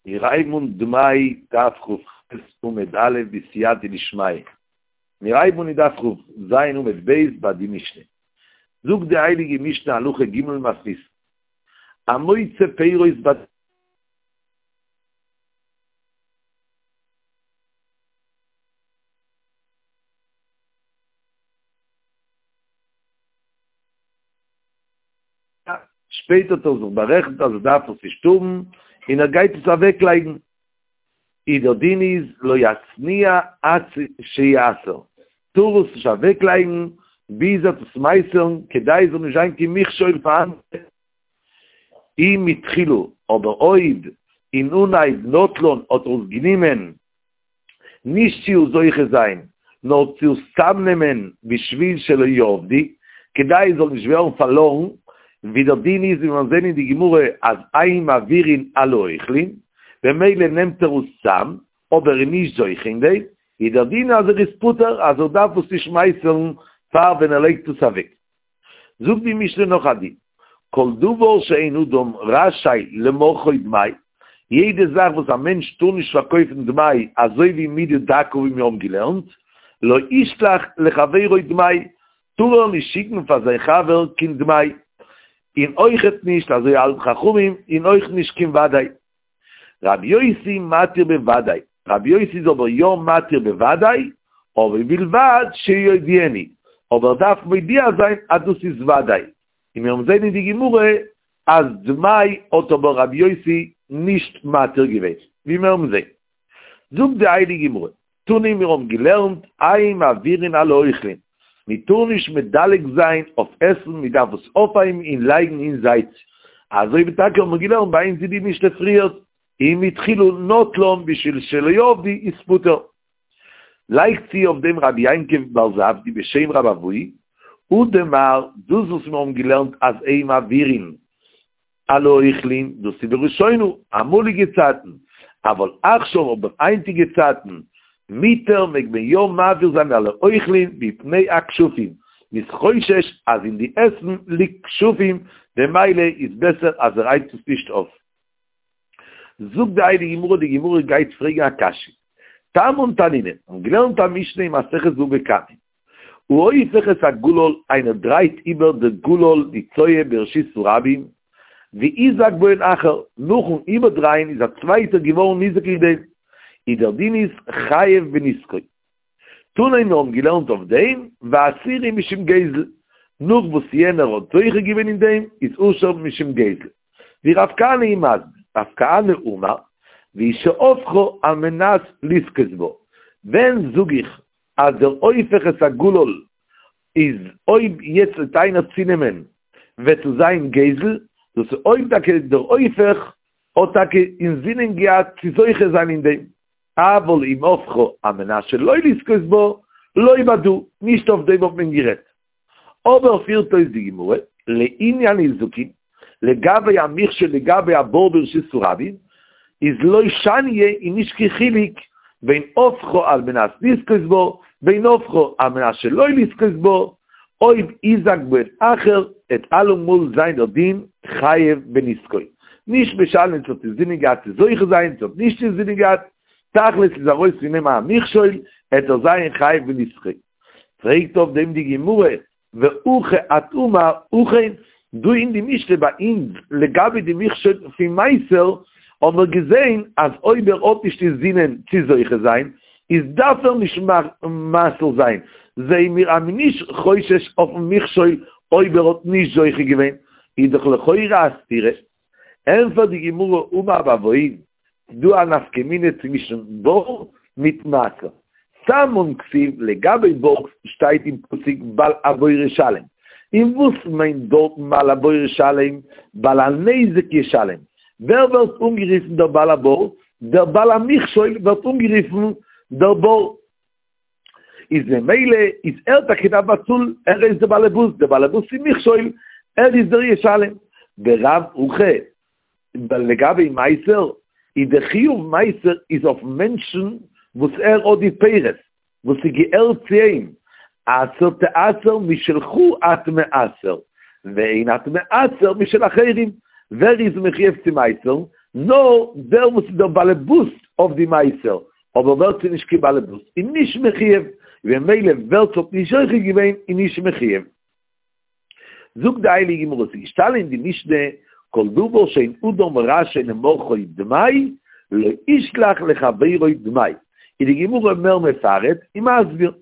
מיר הייבן אן דמאי דף כ"ח עמוד א' בסייעתא דשמיא. מיר הייבן אן אין דף כ"ז עמוד ב' ביי די משנה. זאגט די הייליגע משנה הלכה ג' מתניתין. המוצא פירות ב. שפעטער האט ער זיך בארעכנט אז ער דארף עס נישט האבן און ער גייט עס אוועקלייגן, איז דער דין איז לא יצניע עד שיעשר, טאר עס נישט אוועקלייגן ביז ער וועט עס מעשר'ן כדי עס זאל נישט זיין קיין מכשול פאר אנדערע. אם מתחילה, אבער אויב אין אנהייב נטלן האט ער עס גענומען נישט צו זוכה זיין, נאר צו צאמנעמען בשביל שלא יאבדו, כדי עס זאל נישט ווערן פארלארן, ווי דער דין איז ווי מיר זעהן אין די גמרא אז אין מעבירין על האוכלין, במילא נעמט ער עס צאם, אבער איז נישט זוכה אין דעם, איז דער דין אז ער איז פטור אז ער דארף עס נישט מעשר'ן פאר ווען ער לייגט עס אוועק. זאגט די משנה נאך א דין, כל דבר שאין אדם רשאי למוכרו דמאי, יעדע זאך וואס א מענטש טאר נישט פארקויפן דמאי אזוי ווי מידה דקה ווי מיר האבן געלערנט, לא ישלח לחבירו דמאי, טאר ער נישט שיקן פאר זיין חבר קיין דמאי, און אויכעט נישט, אזוי האלטן חכמים, און אויך נישט קיין ודאי. רבי יוסי מתיר בוודאי, רבי יוסי איז אבער יא מתיר בוודאי, אבער ובלבד שיודיענו, אבער ער דארף מודיע זיין אז דאס איז וודאי, און מיר וועלן זען אין די גמרא אז דמאי האט אבער רבי יוסי נישט מתיר געווען, ווי מיר וועלן זען. זאגט די הייליגע גמרא, תנא מיר האבן געלערנט אין מעבירין על האוכלין, מען טאר נישט מדלג זיין אויף עסן, מען דארף עס אויפהייבן און לייגן אין זייט, אזוי ווי טאקע האבן מיר געלערנט ביי אונז אין די משנה פריערט, אם מתחילה נטלן בשביל שלא יאבדו איז פטור. לייגט צו אויף דעם רבי יעקב בר זבדי בשם רב אבהו, הא דמר, דאס וואס מיר האבן געלערנט אז אין מעבירין על האוכלין, דאס איז בראשונה, אמאליגע צייטן, אבל עכשיו אבער היינטיגע צייטן, מותר מעג מען יא מעביר זיין על האוכלין מפני הכשפים, מ'איז חושש אז אין די עסן ליגט כשפים, במילא איז בעסער אז ער הייבט עס נישט אויף. זאגט די הייליגע גמרא, די גמרא גייט פרעגן א קשיא, תמן תנינא, מ'האט געלערנט א משנה אין מסכת בבא קמא, ההופך את הגולל, איינער דרייט איבער די גולל די צואה ברשות הרבים, והוזק בהן אחר, נאכן איבערדרייען איז א צווייטער געווארן ניזוק אין דעם, איז דער דין איז חייב בנזקו. תנא מיר האבן געלערנט אויף דעם, ועשירי משום גזל, נאך וואס יענער האט זוכה געווען אין דעם, איז עשור משום גזל. ווי רב כהנא איז מסביר, רב כהנא אמר, והוא שהפכה על מנת לזכות בה, ווען זאג איך אז דער הופך את הגולל איז אויב יעצט וועט איינער צונעמען וועט עס זיין גזל, דאס איז אויב טאקע דער הופך האט טאקע אינזינען געהאט צו זוכה זיין אין דעם, אבל אם הפכה על מנת שלא לזכות בה, לא בדא, נישט אויף דעם האט מען גערעדט. אבער פירט אויס די גמרא, לעניין נזקין, לגבי א מכשול לגבי א בור ברשות הרבים, איז לא שניא איז נישט קיין חילוק בין הפכה על מנת לזכות בה, בין הפכה על מנת שלא לזכות בה, אויב הוזק בהן אחר, עט אלעמאל זיין דער דין חייב בנזקו. נישט משנה צו האט אינזינען געהאט צו זוכה זיין צו האט נישט אינזינען געהאט, תכלית איז ארויס פון אים א מכשול, עט ער זיין חייב בנזקו. פרעגט אויף דעם די גמרא, והכא את אמר הכא, דא אין די משנה ביי אונז לגבי די מכשול פון מעשר, האבן מיר געזען אז אויב ער האט נישט אינזינען צו זוכה זיין, איז דארף ער נישט מעשר זיין, זעען מיר אז מ'איז נישט חושש אויפן מכשול אויב ער האט נישט זוכה געווען, איז דאך לכאורה א סתירה. ענפערט די גמרא אמר רב אבהו, ס'דא א נפקא מינה צווישן בור מיט מעשר. סמאן כתיב לגבי בור שטייט אין פסוק בעל הבור ישלם. און וואס מיינט דארטן בעל הבור ישלם? בעל הנזק ישלם. ווער ווערט אנגערופן דער בעל הבור? דער בעל המכשול ווערט אנגערופן דער בור. איז ממילא איז ער טאקע דארף באצאלן, ער איז דער באלעבאס, דער באלעבאס פון מכשול, ער איז דער ישלם. ברב הכא, לגבי מעשר, איז דער חיוב מעשר איז אויפן מענטשן וואס ער האט די פירות, וואס ס'געהערט צו אים, עשר תעשר משלך אתה מעשר, ואין אתה מעשר משל אחרים, ווער איז מחויב צו מעשר'ן? נאר דער וואס איז דער באלעבאס אויף די מעשר, אבער ווער ס'איז נישט קיין באלעבאס איז נישט מחויב, וממילא ווער ס'האט נישט זוכה געווען איז נישט מחויב. זאגט די הייליגע גמרא, ס'איז געשטאנען אין די משנה, כל דבר שאין אדם רשאי למוכרו דמאי, לא ישלח לחבירו דמאי. איז די גמרא מער מפרט און מסביר,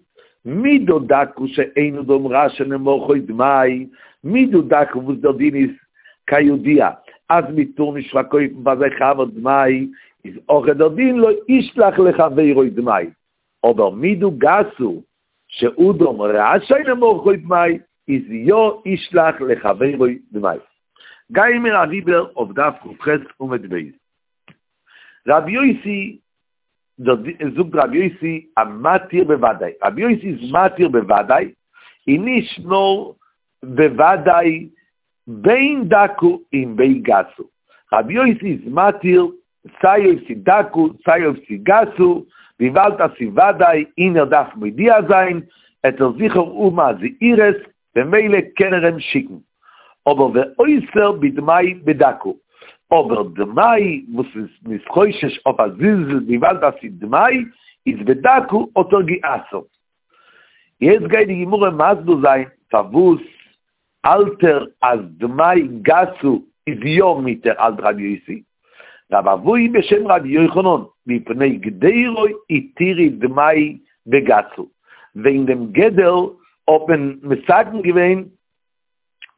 מידו דקה שאין אדם רשאי למוכרו דמאי, מידו דקה וואס דער דין איז כידוע אז מען טאר נישט פארקויפן פאר זיין חבר דמאי, איז אויך דער דין לא ישלח לחבירו דמאי, אבער מידה גסה שאדם רשאי למוכרו דמאי איז יא ישלח לחבירו דמאי. גייען מיר אריבער אויף דף כ"ח עמוד ב'. רבי יוסי זאגט רבי יוסי המתיר בוודאי, רבי יוסי איז מתיר בוודאי, און נישט נאר בוודאי בין דקה און בין גסה, רבי יוסי איז מתיר סיי אויב ס'איז דקה סיי אויב ס'איז גסה, וויבאלד אז ס'איז וודאי און ער דארף מודיע זיין, עט ער זיכער האבן א זהירות, במילא קען ער אים שיקן. אבער ואוסר בדמאי בדקה, אבער דמאי וואס איז מ'איז חושש אויף א זלזול וויבאלד אז ס'איז דמאי, איז בדקה האט ער גע'אסר'ט. יעצט גייט די גמרא מסביר זיין פארוואס האלט ער אז דמאי גסה איז יא מותר האלט רבי יוסי, רב אבהו בשם רבי יוחנן מפני גדרו התירו דמאי בגסה, וועגן דעם גדר האט מען מתקן געווען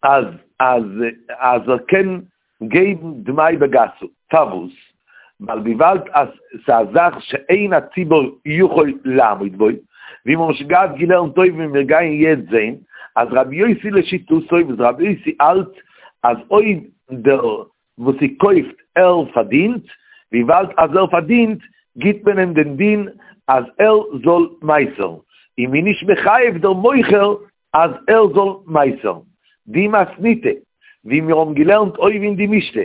אז אז אז ער קען געבן דמאי בגסה, פארוואס? ווייל וויבאלד אז ס'איז א זאך שאין הציבור יכול לעמוד בו, ווי מיר האבן שוין געהאט געלערנט אויבן און מיר גייען יעצט זען אז רבי יוסי לשיטתו וואס רבי יוסי האלט אז אויב דער וואס ס'קויפט ער פארדינט, וויבאלד אז ער פארדינט גיט מען אים דעם דין אז ער זאל מעשר'ן, און מ'איז נישט מחייב דער מוכר אז ער זאל מעשר'ן. די מתניתא, ווי מיר האבן געלערנט אויבן אין די משנה,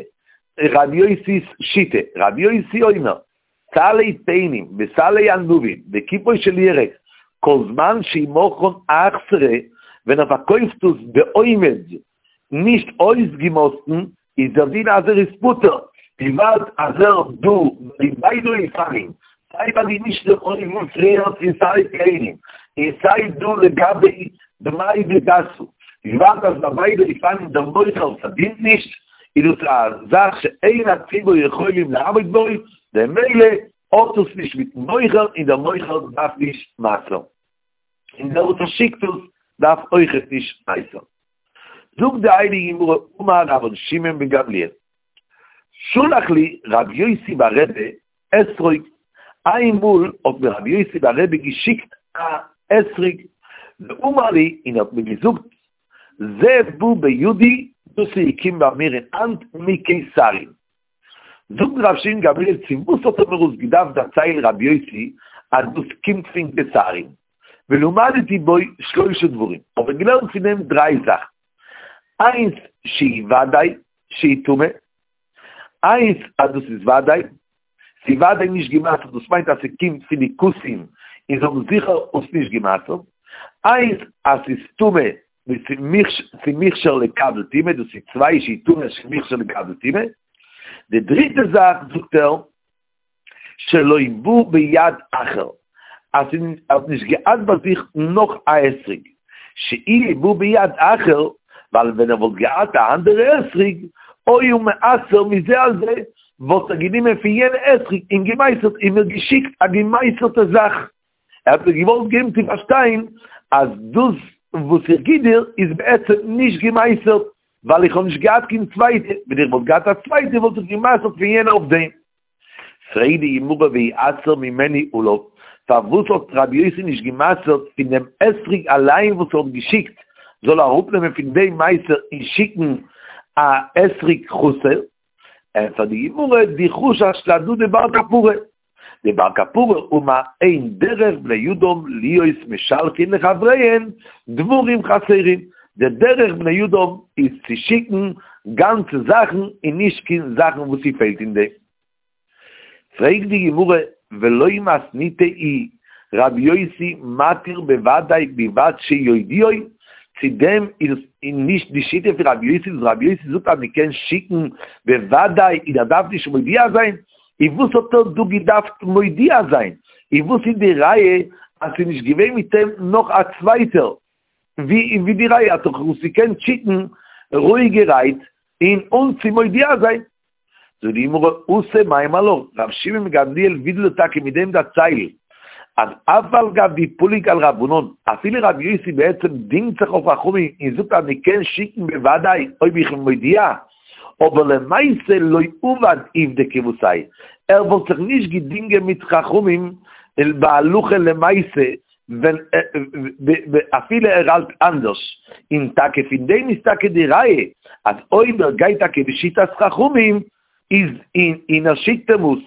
רבי יוסי'ס שיטה, רבי יוסי אומר, סלי תאנים וסלי ענבים וקיפו של ירק, כל זמן שמכרן אכסרה, ווען ער פארקויפט עס בעומד, נישט אויסגעמאסטן, איז דער דין אז ער איז פטור, וויבאלד אז ער דא ביי ביידע אופנים, סיי ביי די משנה אויבן פריער פון סלי תאנים, און סיי דא לגבי דמאי בגסה, וויבאלד אז ביי ביידע אופנים דער מוכר פארדינט נישט, איז דאס א זאך שאין הציבור יכולים לעמוד בו, במילא האט עס נישט מיטן מוכר און דער מוכר דארף נישט מעשר'ן. און דער וואס פארשיקט עס דארף אויכעט נישט מעשר'ן. זאגט די הייליגע גמרא אמר רבן שמעון בן גמליאל שלח לי רבי יוסי בר רבי אתרוג, איינמאל האט מיר רבי יוסי בר רבי געשיקט א אתרוג, ואמר לי און ער האט מיר געזאגט זה בא בידי, דאס איז געקומען ביי מיר אין האנט מקיסריה. זאגט רב שמעון גמליאל צו וואס האט ער מיר עס געדארפט דערציילן רבי יוסי אז דאס קומט פון קיסריה? ולמדתי בו שלושה דברים, האב איך געלערנט פון דעם דריי זאכן, איינס שהיא ודאי שהיא טמא, איינס אז דאס איז ודאי, ס'איז ודאי נישט גע'מעשר'ט, דאס מיינט אז ס'קומט פון די כותים און זיי האבן זיכער עס נישט גע'מעשר'ט, איינס אז ס'איז טמא ס'איז מוכשר לקבל טומאה, דאס איז צוויי שהיא טמא שמוכשר לקבל טומאה, די דריטע זאך זאגט ער, שלא בא ביד אחר, אז ער האט נישט געהאט ביי זיך נאך א אתרוג, שאילו בא ביד אחר, ווייל ווען ער וואלט געהאט א אנדערע אתרוג, היה מעשר מזה על זה, וואלט ער גענומען פון יענע אתרוג און געמעשר'ט און מיר געשיקט א געמעשר'טע זאך. ער האט מיר געוואלט געבן צו פארשטיין אז דאס וואס איך גיב דיר איז בעצם נישט געמעשר'ט, ווייל איך האב נישט געהאט קיין צווייטע, ווען איך וואלט געהאט א צווייטע וואלט איך געמעשר'ט פון יענע אויף דעם. פרעגט די גמרא ויעשר ממנו עליו, פארוואס האט רבי יוסי נישט געמעשר'ט פון דעם אתרוג אליין וואס ער האט געשיקט, זאל ער אראפנעמען פון דעם מעשר און שיקן א אתרוג חסר? ענטפערט די גמרא, דחשש להדא דבר כפרה, דבר כפרה אמר אין דרך בני אדם להיות משלחין לחבריהן דברים חסרים, די דרך בני אדם איז צו שיקן גאנצע זאכן און נישט קיין זאכן וואס ס'פעלט אין דעם. פרעגט די גמרא ולא מתניתא היא רבי יוסי מתיר בוודאי בלבד שיודיעו, צו דעם איז עס נישט די שיטה פון רבי יוסי וואס רבי יוסי זאגט אז מען קען שיקן בוודאי און ער דארף נישט מודיע זיין, און וואס האט ער דא געדארפט מודיע זיין? און וואס איז די ראיה אז ס'איז נישט געווען מיט אים נאך א צווייטער? ווי איז די ראיה? האט דאך עס געקענט שיקן רואיגערהייט און אן צו מודיע זיין. זאגט די גמרא, התם מימר לך, רב שמעון בן גמליאל וויל דיר טאקע מיט דעם דערציילן, אז אף על גב דפליג על רבנן, אפילו רבי יוסי בעצם דינגט זיך אויף חכמים און זאגט אז מען קען שיקן בוודאי אויב איך בין מודיע, אבער למעשה לא עבד עובדא כוותיה, ער וואלט זיך נישט געדינגען מיט חכמים בהלכה למעשה ווען אפילו ער האלט אנדערש, און טאקע פון דעם איז טאקע די ראיה אז אויב ער גייט טאקע בשיטת חכמים איז און ער שיקט אים אויס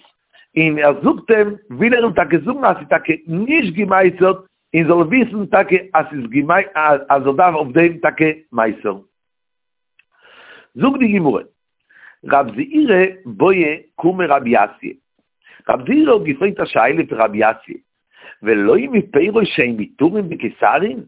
און ער זאגט אים, וויל ער אים טאקע זאגן אז ס'איז טאקע נישט געמייסערט און זאל וויסן טאקע אז ס'איז אז ער דארף אויף דעם טאקע מייסערן. זאגט די גמרא, רב זעירא בעא קומי רבי יאסיה, רב זעירא האט געפרעגט א שאלה פון רבי יאסיה, ולא מפירות שהן מותרים בקיסרין,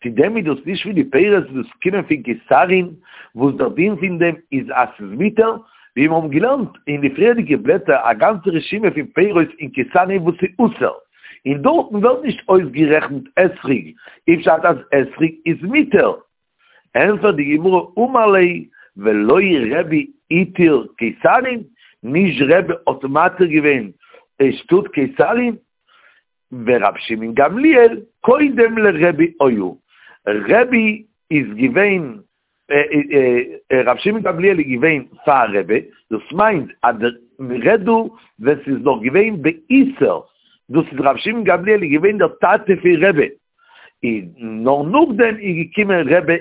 צו דען איז דאס נישט פון די פירות וואס קומען פון קיסרין, וואס דער דין פון דעם איז אז ס'איז מותר, ווי מיר האבן געלערנט אין די פריערדיגע בלעטער א גאנצע רשימה פון פירות אין קיסרין וואס איז אסור, און דארטן ווערט נישט אויסגערעכנט אתרוג, איז פשט אז אתרוג איז מותר. ענפערט די גמרא אמר ליה ולא רבי התיר קיסרין, נישט רבי האט מתיר געווען שטאט קיסרין, ורב שמעון גמליאל קודם לרבי היה, רבי איז געווען, רב שמעון גמליאל איז געווען פאר רבי, דאס מיינט אז מ'רעדט דא ווען ס'איז נאך געווען באיסור, דאס איז רב שמעון גמליאל איז געווען דער טאטע פון רבי, און נאר נאכדעם איז געקומען רבי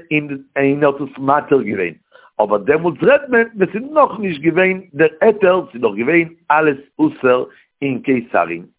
און האט עס מתיר געווען, אבער דעמאלטס רעדט מען ווען ס'איז נאכנישט געווען דער היתר, ס'איז נאך געווען אלעס אסור אין קיסרין.